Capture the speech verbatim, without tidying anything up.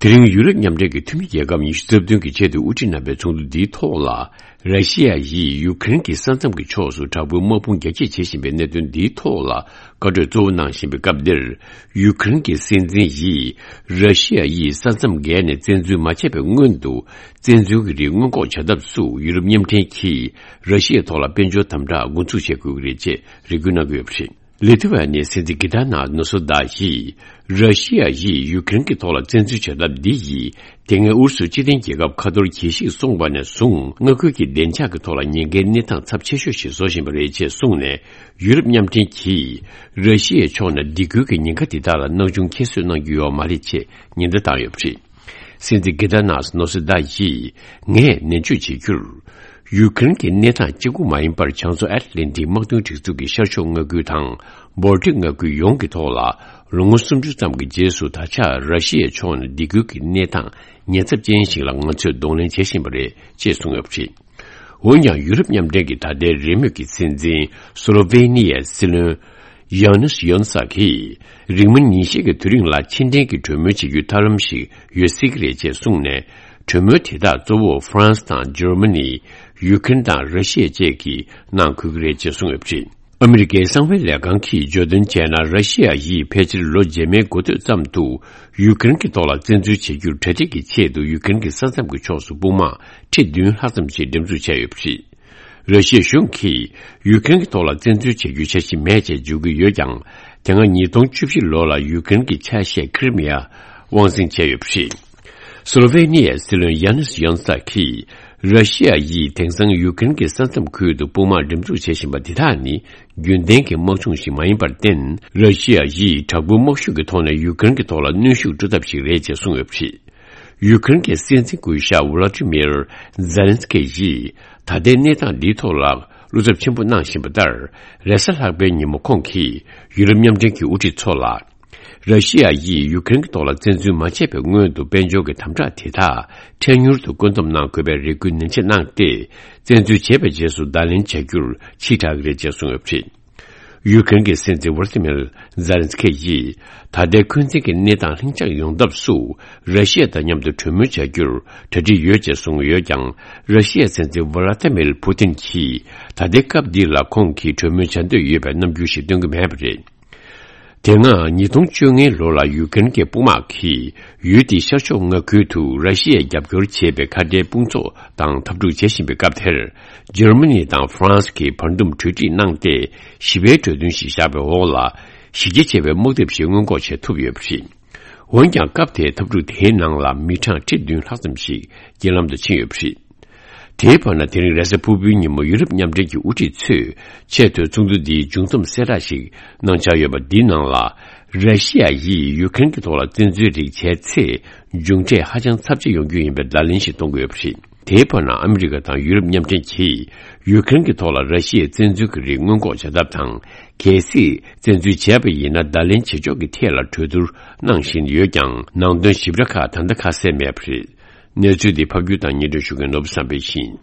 དེ་རིང་ཡུ་རོབ་མཉམ་འབྲེལ་གྱི་འཐུས་མི་རྒྱལ་ཁབ་ཉི་ཤུ་རྩ་བདུན་གྱི་ཆེས་མཐོའི་དབུ་ཁྲིད་རྣམ་པའི་ཚོགས་འདུ་འདིའི་ཐོག་ལ། ར་ཤི་ཡ་ཡིས་ཡུ་ཀེ་རེན་གྱི་ས་མཚམས་ཀྱི་ཕྱོགས་སུ་དྲག་པོའི་དམག་དཔུང་རྒྱ་སྐྱེད་བྱེད་བཞིན་པའི་གནད་དོན་འདིའི་ཐོག་ལ་བཀའ་གྲོས་གཙོ་བོ་གནང་བཞིན་པའི་སྐབས་འདིར། ཡུ་ཀེ་རེན་གྱི་སྲིད་འཛིན་ཡིས། ར་ཤི་ཡ་ཡིས་ས་མཚམས་བརྒལ་ནས་བཙན་འཛུལ་མ་བྱས་པའི་སྔོན་དུ། བཙན་འཛུལ་གྱི་རིགས་སྔོན་འགོག་བྱ་ཐབས་སུ་ཡུ་རོབ་མཉམ་འབྲེལ་གྱིས། ར་ཤི་ཡའི་ཐོག་ལ་དཔལ་འབྱོར་དམ་དྲག་འགོ་འཛུགས་བྱེད་དགོས་ཀྱི་རེད་ཅེས་རེ་སྐུལ་གནང་གི་ཡོད་པ་རེད། ལི་ཐི་ཝ་ནིའི་སྲིད་འཛིན་གྷི་ཏཱ་ནཱས་ནོ་སོ་དཱ་ཡིས། ར་ཤི་ཡ་ཡིས་ཡུ་ཀེ་རེན་གྱི་ཐོག་ལ་བཙན་འཛུལ་བྱ་ཐབས་འདི་ཡིས། དེ་སྔའི་ཨུ་རུ་སུ་སྤྱི་མཐུན་རྒྱལ་ཁབ་ཁ་ཐོར་གྱིས་ཤིག་སོང་བ་ནས་བཟུང་མངའ་ཁུལ་གྱི་བདེ་འཇགས་ཀྱི་ཐོག་ལ་ཉེན་ཁའི་གནས་སྟངས་ཚབས་ཆེ་ཤོས་ཤིག་བཟོ་བཞིན་པ་རེད་ཅེས་གསུངས་ནས། ཡུ་རོབ་མཉམ་འབྲེལ་གྱིས། ར་ཤི་ཡའི་ཕྱོགས་ནས་སྡིགས་སྐུལ་གྱི་ཉེན་ཁ་འདི་དག་ལ་སྣང་ཆུང་ཁྱད་གསོད་གནང་རྒྱུ་ཡོད་མ་རེད་ཅེས་ཉེན་བརྡ་བཏང་ཡོད་པ་རེད། སྲིད་འཛིན་གྷི་ཏཱ་ནཱས་ནོ་སོ་དཱ་ཡིས། ངས་ནན་བརྗོད་བྱེད་རྒྱུར། ཡུ་ཀེ་རེན་གྱི་གནས་སྟངས་གཅིག་པུ་མ་ཡིན་པར། བྱང་མཚོ་ཨེཊ་ལན་ཏིག་དམག་དོན་སྒྲིག་འཛུགས་ཀྱི་ཤར་ཕྱོགས་མངའ་ཁུལ་དང་། བོལ་ཏིག་མངའ་ཁུལ་ཡོངས་ཀྱི་ཐོག་ལ། ལོ་ངོ་སུམ་ཅུ་ཙམ་གྱི་རྗེས་སུ། ད་ཆ་ར་ཤི་ཡའི་ཕྱོགས་ནས་སྡིགས་སྐུལ་གྱི་གནས་སྟངས་ཉེན་ཚབས་ཅན་ཞིག་ལ་ང་ཚོས་གདོང་ལེན་བྱེད་བཞིན་པ་རེད་ཅེས་གསུངས་ཡོད་པ་རེད། འོན་ཀྱང་། ཡུ་རོབ་མཉམ་འབྲེལ་གྱི་ད་ལྟའི་རེས་མོས་ཀྱི་སྲིད་འཛིན། སོ་ལོ་ཝེ་ནི་ཡའི་སྲིད་བློན། ཡང་ནིས་ཡོན་སག་གིས། རིང་མིན་ཉིན་ཤས་ཀྱི་དུས་རིང་ལ་ཕྱི་འབྲེལ་གྱི་གྲོས་མོལ་བྱེད་རྒྱུའི་ཐབས་ལམ་ཞིག་ཡོད་སྲིད་ཀྱི་རེད་ཅེས་གསུངས་ནས། གྲོས་མོལ་དེ་དག་གཙོ་བོ་ཧྥ་རན་སི་དང་འཇར་མ་ནི། ཡུ་ཀེ་རེན་དང་ར་ཤི་ཡ་བཅས་ཀྱིས་གནང་དགོས་ཀྱི་རེད་ཅེས་གསུངས་ཡོད་པ་རེད། ཨ་མི་རི་ཀའི་གསང་བའི་ལས་ཁང་གིས་བརྗོད་དོན་བྱས་ན། ར་ཤི་ཡ་ཡིས་ཕལ་ཆེར་ལོ་རྗེས་མའི་འགོ་སྟོད་ཙམ་དུ། ཡུ་ཀེ་རེན་གྱི་ཐོག་ལ་བཙན་འཛུལ་བྱེད་རྒྱུར་གྲ་སྒྲིག་གི་ཆེད་དུ། ཡུ་ཀེ་རེན་གྱི་ས་མཚམས་ཀྱི་ཕྱོགས་སུ་དཔུང་དམག་ཁྲི་བདུན་ལྷག་ཙམ་ཞིག་འགྲེམས་འཛུགས་བྱས་ཡོད་པ་རེད། ར་ཤི་ཡའི་གཞུང་གིས་ཡུ་ཀེ་རེན་གྱི་ཐོག་ལ་བཙན་འཛུལ་བྱེད་རྒྱུའི་འཆར་གཞི་མེད་ཅེས་བརྗོད་ཀྱི་ཡོད་ཀྱང་། དེ་སྔ་ཉིས་སྟོང་བཅུ་བཞི་ལོ་ལ་ཡུ་ཀེ་རེན་གྱི་ཆ་ཤས་ཁི་རི་མི་ཡ་དབང་འཛིན་བྱས་ཡོད་པ་རེད། སོ་ལོ་ཝེ་ནི་ཡའི་སྲིད་བློན་ཡ་ནིས་ཡོན་སག་གིས། ར་ཤི་ཡ་ཡིས་དེང་སང་ཡུ་ཀེ་རེན་གྱི་ས་མཚམས་ཁུལ་དུ་དཔུང་དམག་འགྲེམས་འཛུགས་བྱེད་བཞིན་པ་འདི་དག་ནི། རྒྱུན་ལྡན་གྱི་དམག་སྦྱོང་ཞིག་མ་ཡིན་པར་བརྟེན། ར་ཤི་ཡ་ཡིས་དྲག་པོའི་དམག་ཤུགས་ཀྱི་ཐོག་ནས་ཡུ་ཀེ་རེན་གྱི་ཐོག་ལ་གནོན་ཤུགས་སྤྲོད་ཐབས་ཤིག་རེད་ཅེས་གསུངས་ཡོད་པ་རེད། ཡུ་ཀེ་རེན་གྱི་སྲིད་འཛིན་སྐུ་ཞབས་ཝ་ལ་ཏི་མིར་ཛེ་ལན་སི་ཀི་ཡིས། ད་ལྟའི་གནས་སྟངས་འདིའི་ཐོག་ལ་བློ་འཚབ་ཆེན་པོ་གནང་བཞིན་པ་ལྟར། རེས་གཟའ་ལྷག་པའི་ཉིན་མོ་ཁོང་གིས་ཡུ་རོབ་མཉམ་འབྲེལ་གྱི་དབུ་ཁྲིད་ཚོ་ལ། ར་ཤི་ཡ་ཡིས་ཡུ་ཀེ་རེན་གྱི་ཐོག་ལ་བཙན་འཛུལ་མ་བྱས་པའི་སྔོན་དུ། དཔལ་འབྱོར་གྱི་དམ་དྲག་དེ་དག་འཕྲལ་མྱུར་དུ་བཀོད་འདོམས་གནང་དགོས་པའི་རེ་སྐུལ་ནན་ཆེ་གནང་སྟེ། བཙན་འཛུལ་བྱས་པའི་རྗེས་སུ་བརྡ་ལན་བྱ་རྒྱུར་ཕྱིར་དྲག་གི་རེད་ཅེས་གསུངས་ཡོད་པ་རེད། ཡུ་ཀེ་རེན་གྱི་སྲིད་འཛིན་ཝ་ལ་ཏི་མིར་ཛེ་ལན་སི་ཀི་ཡིས། ད་ལྟའི་འཁོན་འཛིན་གྱི་གནས་སྟངས་ལྷིང་འཇགས་ཡོང་ཐབས་སུ། ར་ཤི་ཡ་དང་མཉམ་དུ་གྲོས་མོལ་བྱ་རྒྱུར་གྲ་སྒྲིག་ཡོད་ཅེས་གསུངས་ཡོད་ཀྱང་། ར་ཤི་ཡའི་སྲིད་འཛིན་ཝ་ལ་ཏི་མིར་ཕུ་ཏིན་གྱིས། ད་ལྟའི་སྐབས་འདི་ལ་ཁོང་གིས་གྲོས་མོལ་བྱ་འདོད་ཡོད་པའི་རྣམ་འགྱུར་ཞིག་སྟོན་གྱི་མེད་པ་རེད། དེ་སྔ་ཉིས་སྟོང་བཅོ་ལྔ་ལོ་ལ་ཡུ་ཀེ་རེན་གྱི་དཔུང་དམག་གིས་ཡུལ་དེའི་ཤར་ཕྱོགས་མངའ་ཁུལ་དུ་ར་ཤི་ཡས་རྒྱབ་སྐྱོར་བྱེད་པའི་ཁ་བྲལ་དཔུང་ཚོགས་དང་འཐབ་འཁྲུག་བྱེད་བཞིན་པའི་སྐབས་དེར། འཇར་མ་ནི་དང་ཧྥ་རན་སི་གིས་བར་འདུམ་གྲོས་འགྲིག་གནང་སྟེ། ཞི་བའི་གྲོས་མཐུན་ཞིག་བཞག་པའི་འོག་ལ། གཞི་རྒྱ་ཆེ་བའི་དམག་འཐབ་ཞིག་སྔོན་འགོག་བྱེད་ཐུབ་ཡོད་པ་རེད། འོན་ཀྱང་། སྐབས་དེའི་འཐབ་འཁྲུག་དེའི་ནང་ལ་མི་གྲངས་ཁྲི་བདུན་ལྷག་ཙམ་ཞིག་རྐྱེན་ལམ་དུ་ཕྱིན་ཡོད་པ་རེད། དེའི་བར་ན། དེ་རིང་རེས་གཟའ་ཕུར་བུའི་ཉིན་མོ་ཡུ་རོབ་མཉམ་འབྲེལ་གྱི་དབུ་ཁྲིད་ཚོས་ཆེས་མཐོའི་ཚོགས་འདུ་འདིའི་མཇུག་བསྡོམས་གསལ་བསྒྲགས་ཤིག་གནང་འཆར་ཡོད་པ་འདིའི་ནང་ལ། ར་ཤི་ཡ་ཡིས་ཡུ་ཀེ་རེན་གྱི་ཐོག་ལ་བཙན་འཛུལ་རིགས་བྱས་ཚེ། མཇུག་འབྲས་ཧ་ཅང་ཚབས་ཆེ་ཡོང་རྒྱུ་ཡིན་པའི་བརྡ་ལན་ཞིག་གཏོང་གི་ཡོད་པ་རེད། དེའི་བར་ན། ཨ་མི་རི་ཀ་དང་ཡུ་རོབ་མཉམ་འབྲེལ་གྱིས་ཡུ་ཀེ་རེན་གྱི་ཐོག་ལ་ར་ཤི་ཡའི་བཙན་འཛུལ་གྱི་རིགས་སྔོན་འགོག་བྱ་ཐབས་དང་། གལ་སྲིད་བཙན་འཛུལ་བྱས་པ་ཡིན་ན། བརྡ་ལན་བྱེད་ཕྱོགས་ཀྱི་ཐད་ལ་གྲོས་བསྡུར་གནང་བཞིན་ཡོད་ཀྱང་། ནང་དོན་ཞིབ་ཕྲ་ཁག་ད་ལྟ་ཁ་གསལ་མེད་པ་རེད། གནས་ཚུལ་འདི་ཕབ་སྒྱུར་དང་སྙན་སྒྲོན་ཞུ་མཁན་ནོར་བུ་བསམ་འཕེལ་ཡིན།